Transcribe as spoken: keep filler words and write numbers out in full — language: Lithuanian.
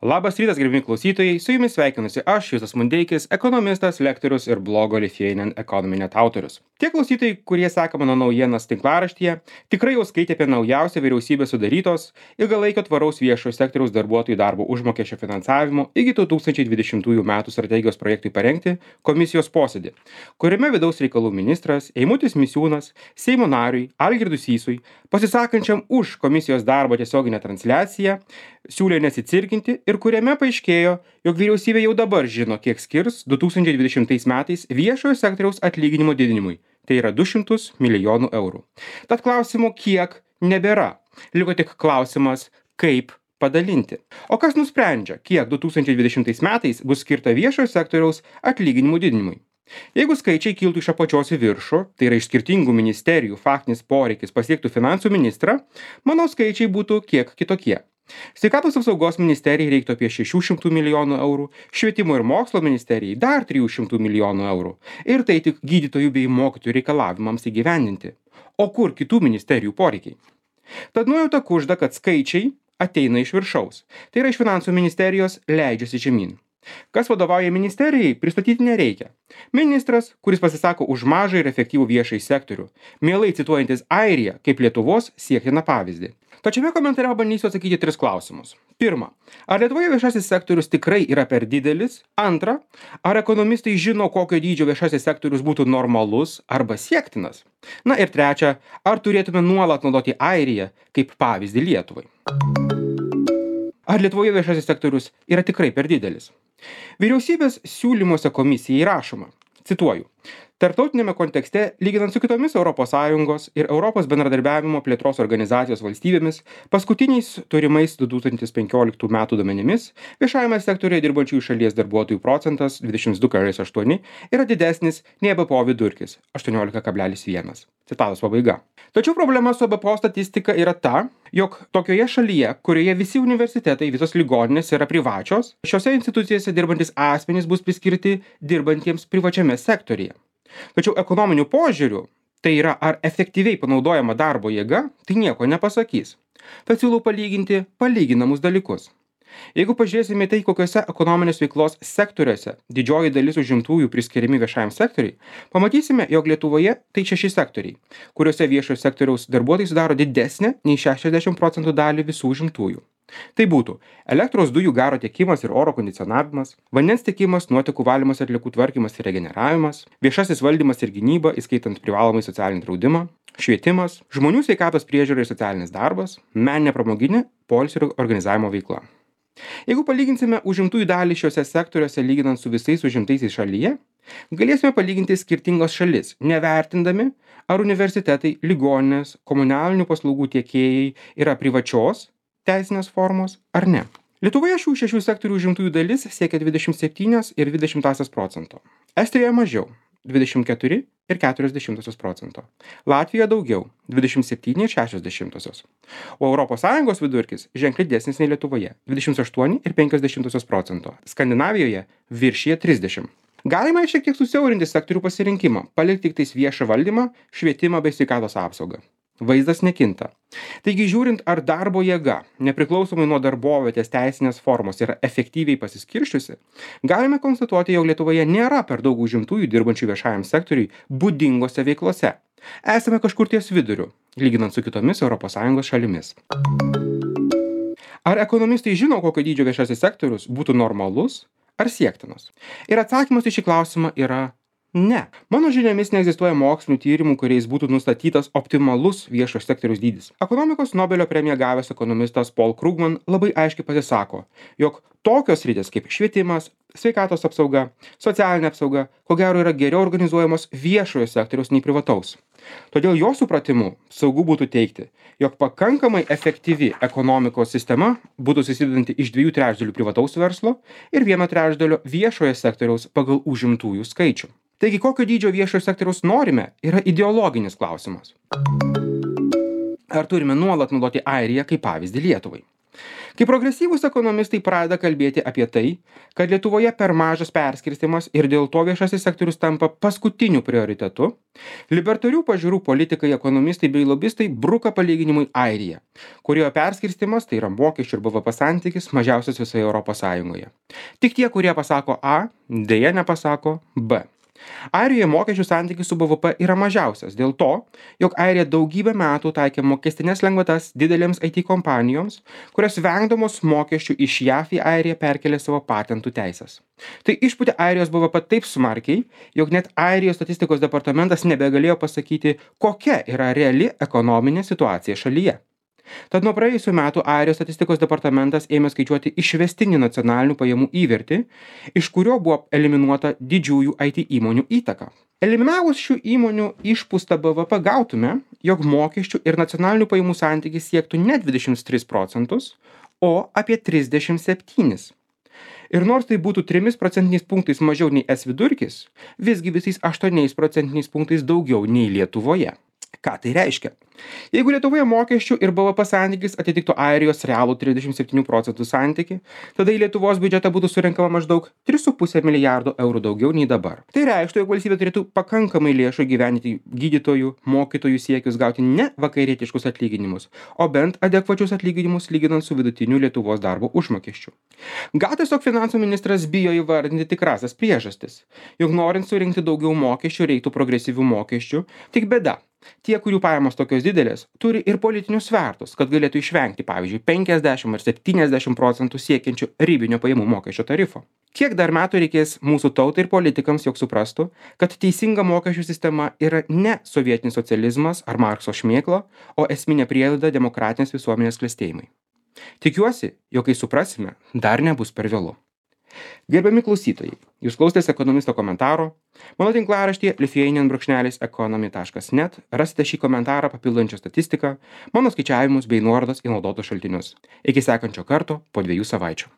Labas rytas, gerbimi klausytojai, su jumis sveikinusi aš, Justas Mundeikis, ekonomistas, lektorius ir blogo Lithuanian Economy net autorius. Tie klausytojai, kurie seka mano naujienas tinklaraštyje, tikrai jau skaitė apie naujausią vyriausybės sudarytos ilgalaikio tvaraus viešojo sektoriaus darbuotojų darbo užmokesčio finansavimo iki du tūkstančiai dvidešimtųjų metų strategijos projektui parengti komisijos posėdį, kuriame vidaus reikalų ministras Eimutis Misiūnas Seimo nariui Algirdui Sysui, pasisakančiam už komisijos darbo tiesioginę transliaciją, siūlė nesicirkinti ir kuriame paaiškėjo, jog vyriausybė jau dabar žino, kiek skirs du tūkstančiai dvidešimtais metais viešojo sektoriaus atlyginimo didinimui. Tai yra du šimtus milijonų eurų. Tad klausimo kiek nebėra. Liko tik klausimas, kaip padalinti. O kas nusprendžia, kiek du tūkstančiai dvidešimtais metais bus skirta viešojo sektoriaus atlyginimų didinimui? Jeigu skaičiai kiltų iš apačios į viršų, tai yra iš skirtingų ministerijų faktinis poreikis pasiektų finansų ministrą, manau skaičiai būtų kiek kitokie. Sveikatos apsaugos ministerijai reiktų apie šešių šimtų milijonų eurų, švietimo ir mokslo ministerijai dar trijų šimtų milijonų eurų. Ir tai tik gydytojų bei mokytojų reikalavimams įgyvendinti. O kur kitų ministerijų poreikiai? Tad nuojauta kužda, kad skaičiai ateina iš viršaus. Tai yra iš finansų ministerijos leidžiasi žemyn. Kas vadovauja ministerijai, pristatyti nereikia. Ministras, kuris pasisako už mažą ir efektyvų viešąjį sektorių, mielai cituojantis Airiją kaip Lietuvos siektiną pavyzdį. Tačiame komentare bandysiu atsakyti tris klausimus. Pirma, ar Lietuvoje viešasis sektorius tikrai yra per didelis? Antra, ar ekonomistai žino, kokio dydžio viešasis sektorius būtų normalus arba siektinas? Na ir trečia, ar turėtume nuolat naudoti Airiją kaip pavyzdį Lietuvai? Ar Lietuvoje viešasis sektorius yra tikrai per didelis? Vyriausybės siūlymuose komisijai rašoma, cituoju, tarptautinėme kontekste, lyginant su kitomis Europos Sąjungos ir Europos bendradarbiavimo plėtros organizacijos valstybėmis, paskutiniais turimais du tūkstančiai penkioliktų metų duomenimis, viešajame sektoriuje dirbančiųjų šalies darbuotojų procentas dvidešimt du kablelis aštuoni yra didesnis nei B P O vidurkis aštuoniolika kablelis vienas. Citatos pabaiga. Tačiau problema su B P O statistika yra ta, jog tokioje šalyje, kurioje visi universitetai, visos ligoninės yra privačios, šiose institucijose dirbantis asmenys bus priskirti dirbantiems privačiame sektoriuje. Tačiau ekonominių požiūrių, tai yra ar efektyviai panaudojama darbo jėga, tai nieko nepasakys. Tad siūlau palyginti palyginamus dalykus. Jeigu pažiūrėsime tai, kokiuose ekonominės veiklos sektoriuose didžioji dalis užimtųjų priskiriami viešajam sektoriui, pamatysime, jog Lietuvoje tai šeši sektoriai, kuriuose viešojo sektoriaus darbuotojai sudaro didesnę nei šešiasdešimt procentų dalį visų užimtųjų. Tai būtų elektros dujų garo tiekimas ir oro kondicionavimas, vandens tiekimas, nuotekų valymas, atliekų tvarkymas ir regeneravimas, viešasis valdymas ir gynyba, įskaitant privalomai socialinį draudimą, švietimas, žmonių sveikatos priežiūra ir socialinis darbas, meninė pramoginė, poilsio ir organizavimo veikla. Jeigu palyginsime užimtųjų dalį šiuose sektoriuose lyginant su visais užimtaisiais šalyje, galėsime palyginti skirtingas šalis, nevertindami, ar universitetai, ligoninės, komunalinių paslaugų tiekėjai yra privačios teisinės formos ar ne. Lietuvoje šių šešių sektorių užimtųjų dalis siekia dvidešimt septyni ir dvi dešimtąsias procento. Estijoje mažiau dvidešimt keturi ir keturios dešimtosios procento. Latvijoje daugiau dvidešimt septyni ir šešios dešimtosios. O Europos Sąjungos vidurkis ženkliai didesnis nei Lietuvoje dvidešimt aštuoni ir penkios dešimtosios procento. Skandinavijoje viršija trisdešimt. Galima šiek tiek susiaurinti sektorių pasirinkimą, palikti tik tais viešą valdymą, švietimą bei sveikatos apsaugą. Vaizdas nekinta. Taigi žiūrint, ar darbo jėga, nepriklausomai nuo darbovietės teisinės formos, yra efektyviai pasiskirsčiusi, galime konstatuoti, jog Lietuvoje nėra per daug užimtųjų dirbančių viešajam sektoriui būdingose veiklose. Esame kažkur ties viduriu, lyginant su kitomis Europos Sąjungos šalimis. Ar ekonomistai žino, kokio dydžio viešasis sektorius būtų normalus ar siektinas? Ir atsakymas į šį klausimą yra ne. Mano žiniomis neegzistuoja mokslinių tyrimų, kuriais būtų nustatytas optimalus viešo sektoriaus dydis. Ekonomikos Nobelio premiją gavęs ekonomistas Paul Krugman labai aiškiai pasisako, jog tokios sritys kaip švietimas, sveikatos apsauga, socialinė apsauga, ko gero yra geriau organizuojamos viešojo sektoriaus nei privataus. Todėl jo supratimu saugu būtų teigti, jog pakankamai efektyvi ekonomikos sistema būtų susidedanti iš dviejų trečdalių privataus verslo ir vieno trečdalio viešojo sektoriaus pagal užimtųjų skaičių. Taigi, kokio dydžio viešojo sektoriaus norime, yra ideologinis klausimas. Ar turime nuolat naudoti Airiją kaip pavyzdį Lietuvai? Kai progresyvūs ekonomistai pradeda kalbėti apie tai, kad Lietuvoje per mažas perskirstimas ir dėl to viešasis sektorius tampa paskutiniu prioritetu, libertarių pažiūrų politikai, ekonomistai bei lobistai bruka palyginimui Airiją, kurioje perskirstimas, tai yra mokesčių ir B V P santykis, mažiausias visoje Europos Sąjungoje. Tik tie, kurie pasako A, dėja nepasako B. Airijoje mokesčių santykis su B V P yra mažiausias dėl to, jog Airija daugybę metų taikė mokestinės lengvatas didelėms I T kompanijoms, kurios vengdamos mokesčių iš J A V į Airiją perkelė savo patentų teisės. Tai išpūtė Airijos B V P taip smarkiai, jog net Airijos statistikos departamentas nebegalėjo pasakyti, kokia yra reali ekonominė situacija šalyje. Tad nuo praėjusių metų Airijos statistikos departamentas ėmė skaičiuoti išvestinį nacionalinių pajamų įvertį, iš kurio buvo eliminuota didžiųjų I T įmonių įtaka. Eliminavus šių įmonių išpūstą B V P gautume, jog mokesčių ir nacionalinių pajamų santykis siektų ne dvidešimt tris procentus, o apie trisdešimt septynis. Ir nors tai būtų trimis procentiniais punktais mažiau nei es vidurkis, visgi visais aštuoniais procentiniais punktais daugiau nei Lietuvoje. Ką tai reiškia? Jeigu Lietuvoje mokesčių ir B V P santykis atitiktų Airijos realų trisdešimt septynių procentų santykį, tada į Lietuvos biudžetą būtų surenkama maždaug tris su puse milijardo eurų daugiau nei dabar. Tai reikštų, jog valstybė turėtų pakankamai lėšų gyventi gydytojų, mokytojų siekius gauti ne vakarietiškus atlyginimus, o bent adekvačius atlyginimus lyginant su vidutiniu Lietuvos darbo užmokesčiu. Gal tiesiog finansų ministras bijo įvardinti tikrasias priežastis, jog norint surinkti daugiau mokesčių reiktų progresyvių mokesčių, tik bėda. Tie, kurių pajamos tokios didelės, turi ir politinius svertus, kad galėtų išvengti, pavyzdžiui, penkiasdešimt ar septyniasdešimt procentų siekiančių ribinio pajamų mokesčio tarifo. Kiek dar metų reikės mūsų tautai ir politikams, jog suprastų, kad teisinga mokesčių sistema yra ne sovietinis socializmas ar Markso šmėkla, o esminė prielaida demokratinės visuomenės klestėjimai. Tikiuosi, jog kai suprasime, dar nebus per vėlu. Gerbiami klausytojai, jūs klausėtės ekonomisto komentaro. Mano tinklaraštyje lithuanian brūkšnelis economy taškas net rasite šį komentarą papildančią statistiką, mano skaičiavimus bei nuorodas į naudotus šaltinius. Iki sekančio karto po dviejų savaičių.